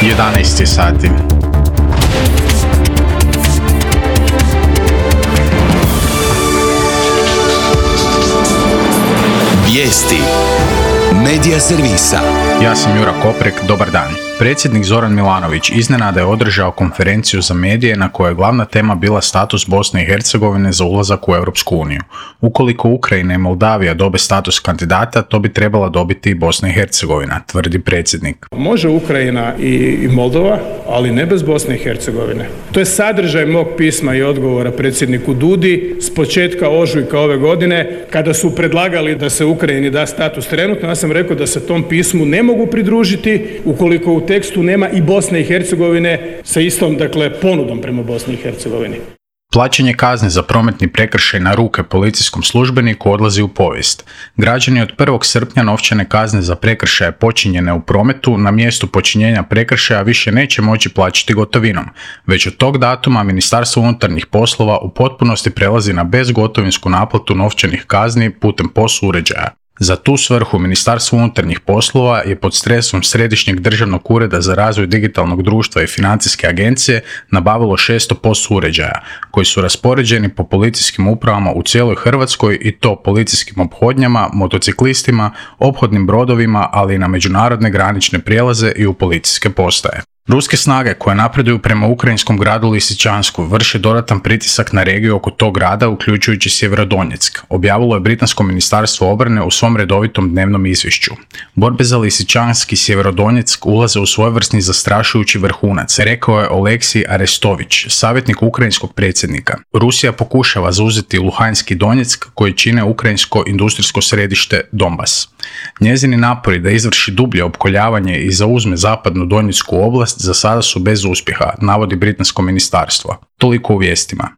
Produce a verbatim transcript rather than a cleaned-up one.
jedanaest je sati. Vijesti Medija servisa. Ja sam Jura Koprek, dobar dan. Predsjednik Zoran Milanović iznenada je održao konferenciju za medije na kojoj je glavna tema bila status Bosne i Hercegovine za ulazak u Europsku uniju. Ukoliko Ukrajina i Moldavija dobe status kandidata, to bi trebala dobiti i Bosna i Hercegovina, tvrdi predsjednik. Može Ukrajina i Moldova, ali ne bez Bosne i Hercegovine. To je sadržaj mog pisma i odgovora predsjedniku Dudi s početka ožujka ove godine, kada su predlagali da se Ukrajini da status trenutno. Ja sam rekao da se tom pismu ne mogu pridružiti ukoliko u tekstu nema i Bosne i Hercegovine sa istom, dakle, ponudom prema Bosni i Hercegovini. Plaćanje kazne za prometni prekršaj na ruke policijskom službeniku odlazi u povijest. Građani od prvog srpnja novčane kazne za prekršaje počinjene u prometu na mjestu počinjenja prekršaja više neće moći plaćati gotovinom. Već od tog datuma Ministarstvo unutarnjih poslova u potpunosti prelazi na bezgotovinsku naplatu novčanih kazni putem P O S uređaja. Za tu svrhu Ministarstvo unutarnjih poslova je pod stresom Središnjeg državnog ureda za razvoj digitalnog društva i financijske agencije nabavilo šesto P O S uređaja, koji su raspoređeni po policijskim upravama u cijeloj Hrvatskoj, i to policijskim ophodnjama, motociklistima, ophodnim brodovima, ali i na međunarodne granične prijelaze i u policijske postaje. Ruske snage koje napreduju prema ukrajinskom gradu Lisičansku vrše dodatan pritisak na regiju oko tog grada, uključujući Sjeverodonjeck, objavilo je Britansko ministarstvo obrane u svom redovitom dnevnom izvješću. Borbe za Lisičansk i Sjeverodonjeck ulaze u svojevrsni zastrašujući vrhunac, rekao je Oleksij Arestović, savjetnik ukrajinskog predsjednika. Rusija pokušava zauzeti Luhanski Donjeck, koji čine ukrajinsko industrijsko središte Donbas. Njezini napori da izvrši dublje opkoljavanje i zauzme zapadnu Donjecku oblast za sada su bez uspjeha, navodi britansko ministarstvo. Toliko u vijestima.